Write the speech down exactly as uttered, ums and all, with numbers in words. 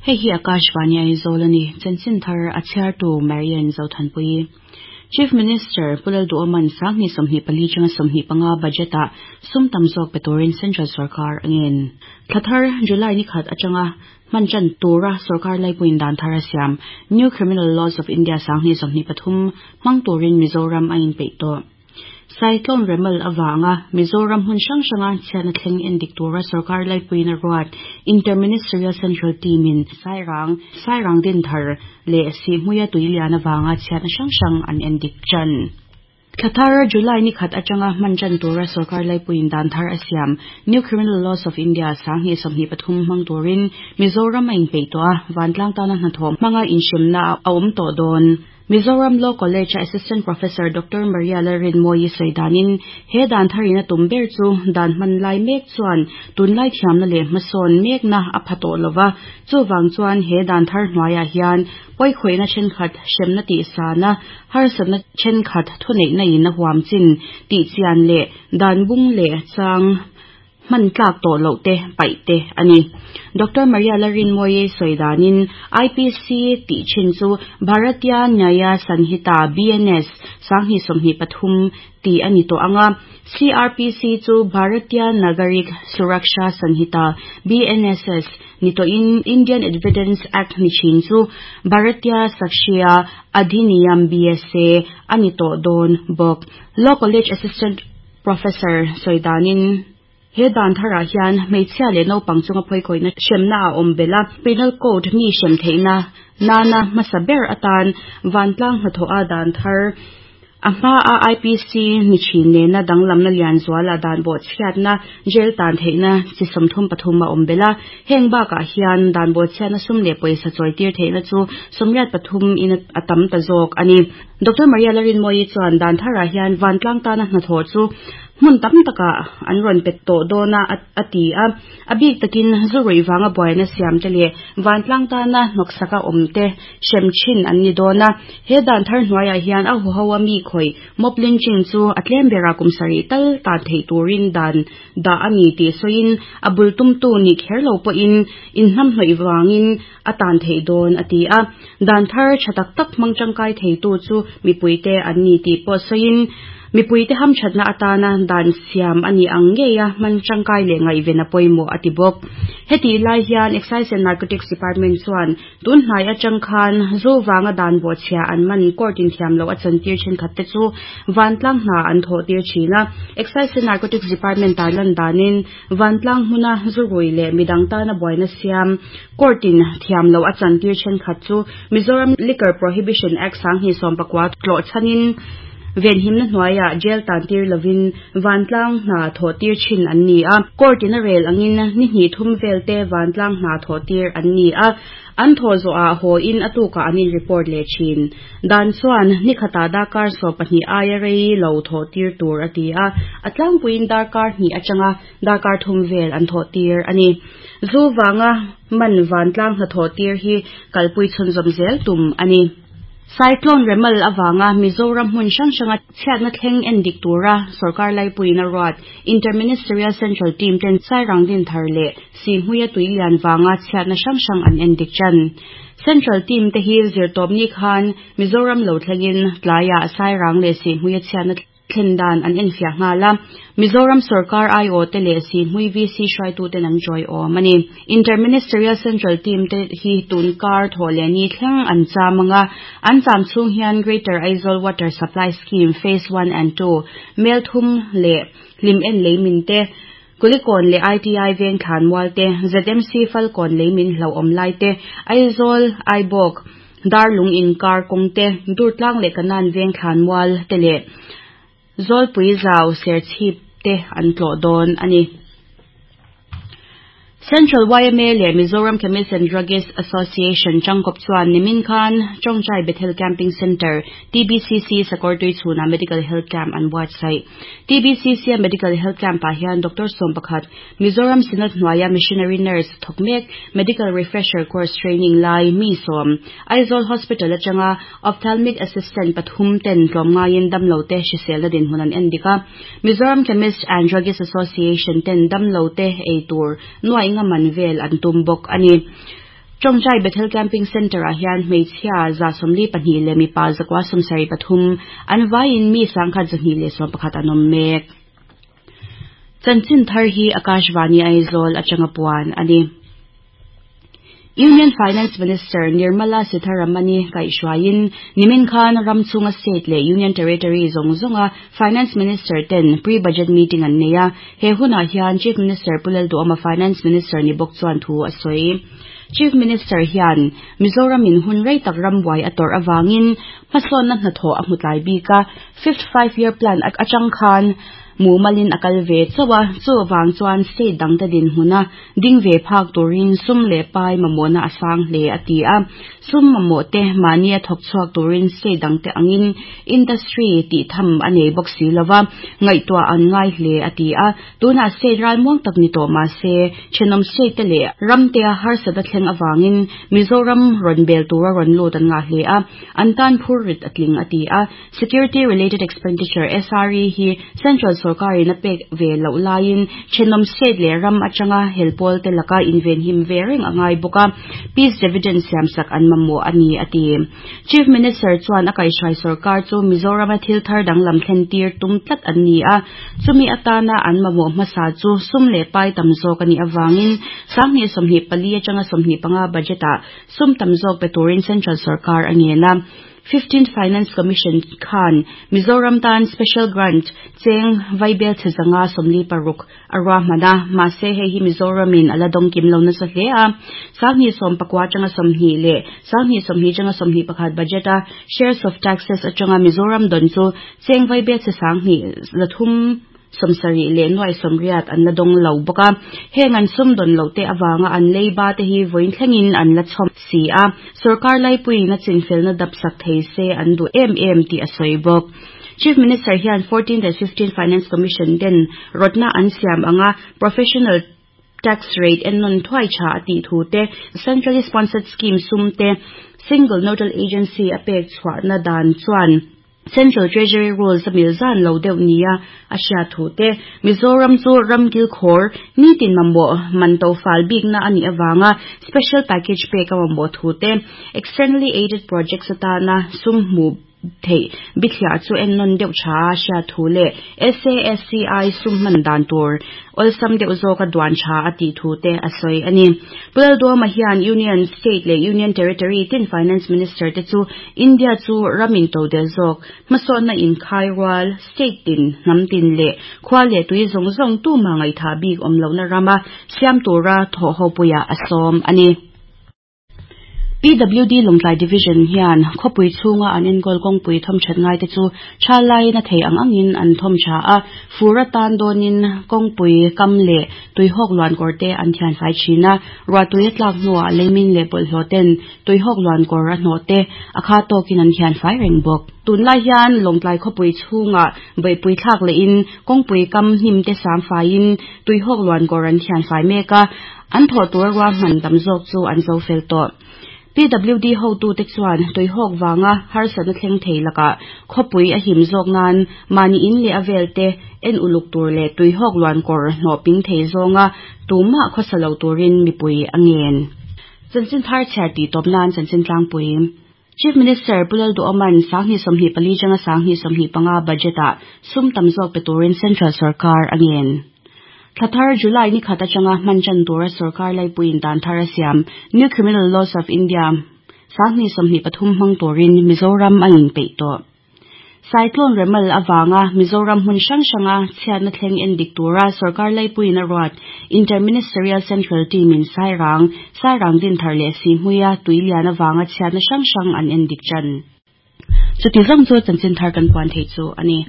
Hei hi Akashvani Aizawl a ni. Chanchin thar a chhiartu Marian Zothanpui. Chief Minister Pu Lalduhoma'n Sanghnih sawmhnih pali atanga sawmhnih panga budget-ah sum tam zawk pe turin Central Sorkar a ngen. Thla thar July ni khat atanga hman tan tura sorkar laipuiin dan thar a siam New Criminal Laws of India Sanghnih sawmhnih pathum hmang turin Mizoram a inpeih tawh. Cyclone Remal avanga Mizoram hmun hrang hranga chhiatna thleng endik tura sorkar laipuiin a ruat Interministerial Central Team-in Sairang, Sairang din thar leh Sihhmuia tuilian avanga chhiatna hrang hrang an endik tan. Thla thar July ni khat atanga hman tan tura sorkar laipuiin dan thar a siam New Criminal Laws of India Sanghnih sawmhnih pathum hmang turin Mizoram a inpeih tawh a, vantlang tana hnathawh hmanga inhremna a awm tawh dawn. Mizoram Law College Assistant Professor Doctor Maria Lalrinmoyi sawidanin he dan tharin a tum ber chu dan hman lai mek chuan tunlai thiamna leh hmasawn mekna a pha tawh lova chuwang chuan he dan thar hnuaiah hian pawikhawihna thenkhat hremna tih sana harsatna thenkhat thuneihna in a huam chin tih chian leh dan bung leh chang hman tlak tawh loh te paih te ani. Doctor Maria Lalrinmoyi sawidanin I P C tih thin chu Bharatiya Nyaya Sanhita B N S Sanghnih sawmhnih pathum tih ani tawh anga C R P C chu Bharatiya Nagarik Suraksha Sanhita B N S S ni tawhin Indian Evidence Act ni thin chu Bharatiya Sakshya Adhiniyam B S A ani tawh dawn bawk. Law College Assistant Professor sawidanin he dan tharah hian hmeichhia leh naupang chunga phawikawihna hremna a awm bela Penal Code mi hrem theihna nana hmasa ber atan vantlang hnathawh a dan thar a hma a I P C ni thin nena danglamna lian zuala dan bawh chhiatna jail tan theihna chi sawmthum pathum a awm bela heng bakah hian dan bawh chhiatna sum leh pawisa chawitir theihna chu sawmriat pathum in a tam ta zawk ani. Doctor Maria Lalrinmoyi chuan dan tharah hian vantlang tana hnathawh chu hmun tam taka an rawn pet tawh dawna a ti a a bik takin zurui wanga buaina siam te leh vantlang tana hnawksaka awm te hrem thin an ni dawna he dan thar hnuaiah hian a huho a mi khawih mob lynching chu a tlem bera kum sarih tal tan thei turin dan dah ani tih sawiin a bul tumtu ni kher lo pawhin inhnam hnawih wangin a tan thei dawn a ti a dan thar tha tak tak hmang tangkai thei tu chu mipui te an ni tih pawh sawiin mipui te ham thatna atana dan siam ani ang nge a hman tangkai leh ngaihven a pawimawh a ti bawk. Heti lai hian Excise and Narcotics Department chuan tun hnai atang khan zu wanga dan bawh chhia an man court in thiam lo a chantir thenkhat te chu vantlang hna an thawh tir thina. Excise and Narcotics Department tarlan danin vantlang hmuna zu rui leh midang tana buaina siam court in thiam lo a chantir thenkhat chu Mizoram Liquor Prohibition Act Sanghnih sawm pakua tlawh chhanin venhimna hnuaiah jail tan tir lovin vantlang hna thawh tir thin an ni a court in a rel angin ni hnih thum vel te vantlang hna thawh tir an ni a an thaw zawh ah haw in a tukah an in report leh thin. Dan chuan ni khata darkar sawm pahnih aia rei lo thawh tir tur a ti a a tlangpuiin darkar hnih atanga darkar thum vel an thawh tir ani. Zu wanga man vantlang hna thawh tir hi kalpui chhunzawm zel tum ani. Cyclone Remal avanga Mizoram hmun hrang hranga chhiatna thleng endik tura sorkar laipuiin a ruat Interministerial Central Team ten Sairang din thar leh Sihhmuia tuilian wanga chhiatna hrang hrang an endik tan. Central Team te hi zirtawpni khan Mizoram lo thlengin tlaiah Sairang leh Sihhmuia chhiatna thlen dan an enfiah nghala Mizoram Sarkar I O te leh Sihhmui V C hruaitu ten an joy awm ani. Interministerial Central Team te hi tunkar thaw leh ni thleng an chamanga an cham chhung hian Greater Aizawl Water Supply Scheme Phase one and two mel thum leh hlim en leimin te Kulikon leh I T I veng thlan mual te Z M C Falcon leimin hlo awm lai te Aizawl Aibawk Darlung inkar kawng te Durtlang leh Kanan veng thlan mual te leh Zawlpui zau serchhip te an tlawh dawn ani. Central Y M A leh Mizoram Chemist and Druggist Association changkawp chuan nimin khan Chongchai Bethel Camping Center T B C C Sakawrtui chhuna Medical Health Camp an buatsaih. T B C C a Medical Health Camp ah hian Doctor Sawm pakhat Mizoram Synod hnuaia Missionary Nurse thawk mek Medical Refresher Course Training lai mi sawm Aizawl Hospital atanga Ophthalmic Assistant pathum ten tlawmngaiin damlo te hriselna dinhmun an endik a. Mizoram Chemist and Druggist Association ten damlo te ei tur nuai nga man vel an tum bawk ani. Tawngtai Bethel Camping Centre ah hian hmeichhia za sawmli pahnih leh mipa zakua sawmsarih pathum an vaiin mi sangkhat zahnih leh sawm pakhat an awm mek. Chanchin thar hi Akashvani Aizawl atanga puan ani. Union Finance Minister Nirmala Sitharaman-i kaihhruaiin nimin khan ramchhunga state leh Union Territory zawng zawnga Finance Minister ten pre-budget meeting an nei a. He hunah hian Chief Minister Pu Lalduhoma Finance Minister ni bawk chuan thu a sawi. Chief Minister hian Mizoram in hun rei tak rambuai a tawrh awangin hmasawnna hnathawh a hmu tlai bik a. Fifth Five Year Plan atang khan mumalin a kal ve chauh a, chu wang chuan state dang te din hmuna ding ve phak turin sum leh pai mamawhna a sang hle a ti a. Sum mamawh te mahni a thawk chhuak turin state dang te angin industry tih tham a nei bawk si lova ngaihtuah an ngai hle a ti a. Tunah state ralmuang tak ni tawh mahse thenawm state te leh ram te a harsat a thleng awangin Mizoram rawn bel tura rawn lut an ngah hle a, an tan phur rit a tling a ti a. Security related expenditure S R E hi Central sarkarin a pek ve loh laiin thenawm state leh ram atanga helpawl te laka inven him ve reng angai bawk a, peace dividend siam sak an mamawh ani a ti. Chief Minister chuan a kaihhruai sarkar chu Mizoram a thil thar danglam thlen tir tum tlat an ni a, chumi atana an mamawh hmasa chu sum leh pai tam zawk ani awangin sanghnih sawmhnih pali atanga sawmhnih panga budget ah sum tam zawk pe turin Central sarkar a ngen a. fifteenth Finance Commission khan Mizoram tan special grant cheng vaibel chezanga sawmli paruk a ruahman a, mahse hei hi Mizoramin a la dawng kim lo nasa hle a. Sanghnih sawm pakua atanga sawmhnih leh sanghnih sawmhnih atanga sawmhnih pakhat budget a shares of taxes atanga Mizoram dawn chu cheng vaibel che sanghnih zathum sawmsarih leh nuai sawmriat an la dawng lo bawk a. Heng an sum dawn lo te awanga an leiba te hi vawiin thlengin an la chhawm si a. Sarkar laipuiin a chinfelna dap sak thei se an duh em em tih a sawi bawk. Chief Minister hian fourteenth and fifteenth Finance Commission ten rawtna an siam anga professional tax rate ennawn thuai tha a tih thu te, centrally sponsored scheme sum te, single nodal agency a pek chhuahna dan chuan Central Treasury Rules a mil zan lo deuh nia a hria thu te, Mizoram chu ramkil khawr nitin mamawh man to fal bikna ani awanga special package pek a mamawh thu te, externally aided projects atana sum hmu thei bithliah chu ennawn deuh tha a hria thu leh S A S C I sum hman dan tur awlsam deuh zawk a duan tha a tih thu te a sawi ani. Pu Lalduhoma hian Union State leh Union Territory tin Finance Minister te chu India chu ramin to del zawk hmasawnna inkhai rual state tin hnam tin leh khua leh tui zawng zawng tu ma ngaitha bik awm lohna rama siam tura thawh ho puia a sawm ani. P W D Lawngtlai Division hian khawpui chhunga an enkawl kawngpui thawm that ngai te chu tha laiin a thei ang angin an thawm tha a, fur atan dawnin kawngpui kam leh tuihawk luan kawr te an thian fai thin a, ruahtui a tlak hnuah leimin leh bawlhhlawh ten tuihawk luan kawr a hnawh te a kha tawkin an thian fai reng bawk. Tunlai hian Lawngtlai khawpui chhunga beihpui thlak lehin kawngpui kam hnim te sam faiin tuihawk luan kawr an thian fai mek a, an thawh tur ruahman tam zawk chu an zo fel tawh. P W D ho tu te chuan tuihawk wanga harsatna thleng thei laka khawpui a him zawk nan mahni in leh a vel te en uluk tur leh tuihawk luan kawr hnawh ping thei zawnga tumah khawsa lo turin mipui a ngen. Chanchin thar chhiar tih tawp nan chanchin tlangpui. Chief Minister Pu Lalduhoma'n sanghnih sawmhnih pali atanga sanghnih sawmhnih panga budget ah sum tam zawk pe turin Central sarkar a ngen. Thlathar July ni khat atanga hman chan tura sarkar laipuiin dan thar a siam New Criminal Laws of India sanghnih sawmhnih pathum hmang turin Mizoram a inpeih tawh. Cyclone Remal awanga Mizoram hmun hrang hranga chhiatna thleng endik tura sarkar laipuiin a ruat Interministerial Central Team in Sairang Sairang din thar leh si hmuia tuilian awanga chhiatna hrang hrang an endik chan. Chuti zawng chu chanchin thar kan puan thei chu ani.